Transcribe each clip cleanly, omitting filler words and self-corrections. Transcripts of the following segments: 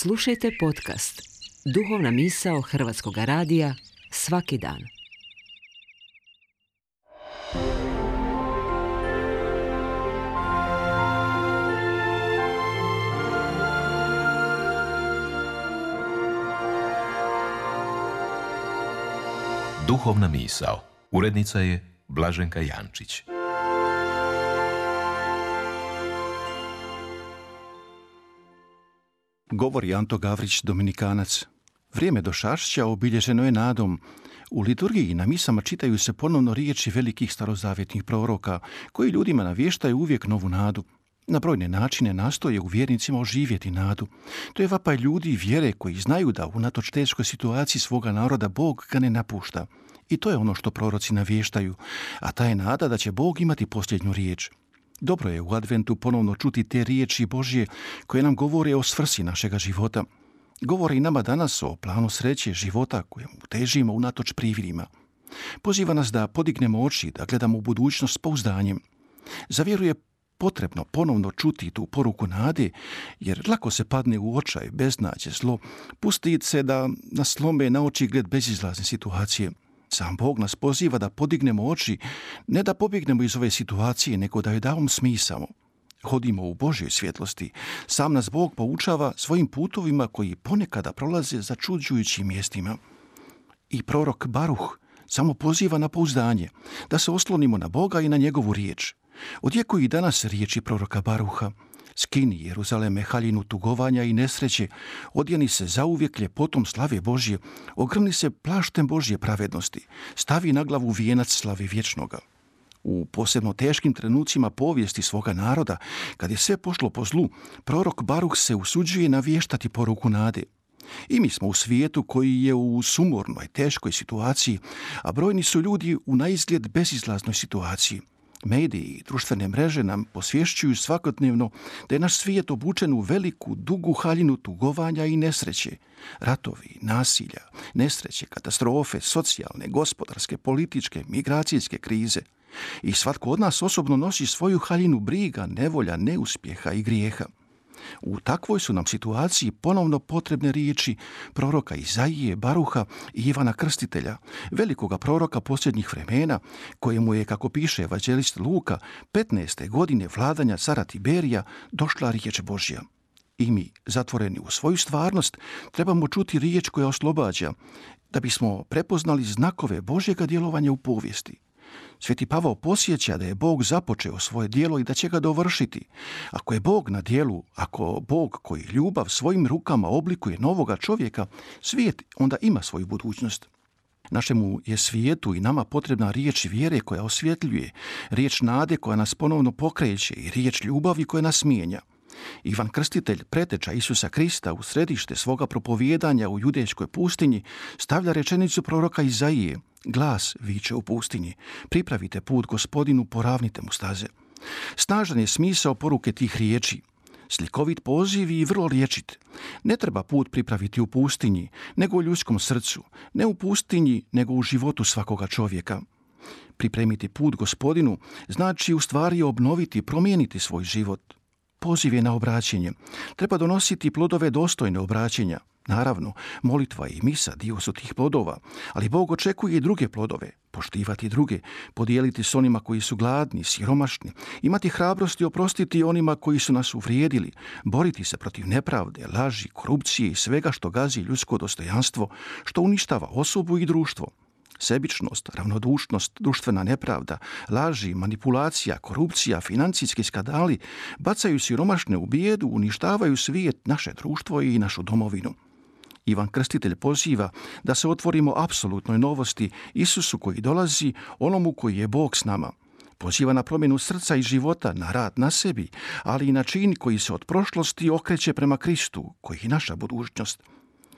Slušajte podcast Duhovna misao Hrvatskog radija svaki dan. Duhovna misao. Urednica je Blaženka Jančić. Govori Anto Gavrić, Dominikanac. Vrijeme Došašća obilježeno je nadom. U liturgiji na misama čitaju se ponovno riječi velikih starozavjetnih proroka, koji ljudima navještaju uvijek novu nadu. Na brojne načine nastoje u vjernicima oživjeti nadu. To je vapaj ljudi i vjere koji znaju da unatoč teškoj situaciji svoga naroda Bog ga ne napušta. I to je ono što proroci navještaju, a ta je nada da će Bog imati posljednju riječ. Dobro je u adventu ponovno čuti te riječi Božje koje nam govore o svrsi našega života. Govore i nama danas o planu sreće života kojemu težimo unatoč prividima. Poziva nas da podignemo oči, da gledamo u budućnost s pouzdanjem. Za vjeru je potrebno ponovno čuti tu poruku nade, jer lako se padne u očaj, beznađe, zlo, pusti se da nas slome na oči gled bezizlazne situacije. Sam Bog nas poziva da podignemo oči, ne da pobjegnemo iz ove situacije, nego da joj damo smisao. Hodimo u Božjoj svjetlosti. Sam nas Bog poučava svojim putovima koji ponekada prolaze začuđujućim mjestima. I prorok Baruh samo poziva na pouzdanje, da se oslonimo na Boga i na njegovu riječ. Odjekuju i danas riječi proroka Baruha. Skini, Jeruzaleme, haljinu tugovanja i nesreće, odjeni se zauvijek ljepotom slave Božje, ogrni se plaštem Božje pravednosti, stavi na glavu vijenac slave vječnoga. U posebno teškim trenucima povijesti svoga naroda, kad je sve pošlo po zlu, prorok Baruh se usuđuje navještati poruku nade. I mi smo u svijetu koji je u sumornoj, teškoj situaciji, a brojni su ljudi u naizgled bezizlaznoj situaciji. Mediji i društvene mreže nam posvješćuju svakodnevno da je naš svijet obučen u veliku, dugu haljinu tugovanja i nesreće. Ratovi, nasilja, nesreće, katastrofe, socijalne, gospodarske, političke, migracijske krize. I svatko od nas osobno nosi svoju haljinu briga, nevolja, neuspjeha i grijeha. U takvoj su nam situaciji ponovno potrebne riječi proroka Izaije, Baruha i Ivana Krstitelja, velikoga proroka posljednjih vremena, kojemu je, kako piše evanđelist Luka, 15. godine vladanja cara Tiberija došla riječ Božja. I mi, zatvoreni u svoju stvarnost, trebamo čuti riječ koja oslobađa, da bismo prepoznali znakove Božjega djelovanja u povijesti. Sveti Pavao podsjeća da je Bog započeo svoje djelo i da će ga dovršiti. Ako je Bog na djelu, ako Bog koji ljubav svojim rukama oblikuje novoga čovjeka, svijet onda ima svoju budućnost. Našemu je svijetu i nama potrebna riječ vjere koja osvjetljuje, riječ nade koja nas ponovno pokreće i riječ ljubavi koja nas mijenja. Ivan Krstitelj, preteča Isusa Krista, u središte svoga propovijedanja u judejskoj pustinji, stavlja rečenicu proroka Izaije. Glas viče u pustinji, pripravite put Gospodinu, poravnite mu staze. Snažan je smisao poruke tih riječi. Slikovit poziv i vrlo riječit. Ne treba put pripraviti u pustinji, nego u ljudskom srcu. Ne u pustinji, nego u životu svakoga čovjeka. Pripremiti put Gospodinu znači u stvari obnoviti, promijeniti svoj život. Poziv je na obraćenje. Treba donositi plodove dostojne obraćenja. Naravno, molitva i misa dio su tih plodova, ali Bog očekuje i druge plodove, poštivati druge, podijeliti s onima koji su gladni, siromašni, imati hrabrosti oprostiti onima koji su nas uvrijedili, boriti se protiv nepravde, laži, korupcije i svega što gazi ljudsko dostojanstvo, što uništava osobu i društvo. Sebičnost, ravnodušnost, društvena nepravda, laži, manipulacija, korupcija, financijski skandali bacaju siromašne u bijedu, uništavaju svijet, naše društvo i našu domovinu. Ivan Krstitelj poziva da se otvorimo apsolutnoj novosti Isusu koji dolazi, onomu koji je Bog s nama. Poziva na promjenu srca i života, na rad na sebi, ali i na čin koji se od prošlosti okreće prema Kristu, koji je naša budućnost.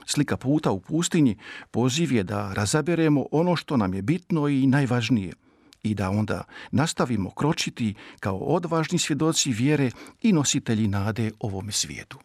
Slika puta u pustinji poziv je da razaberemo ono što nam je bitno i najvažnije i da onda nastavimo kročiti kao odvažni svjedoci vjere i nositelji nade ovome svijetu.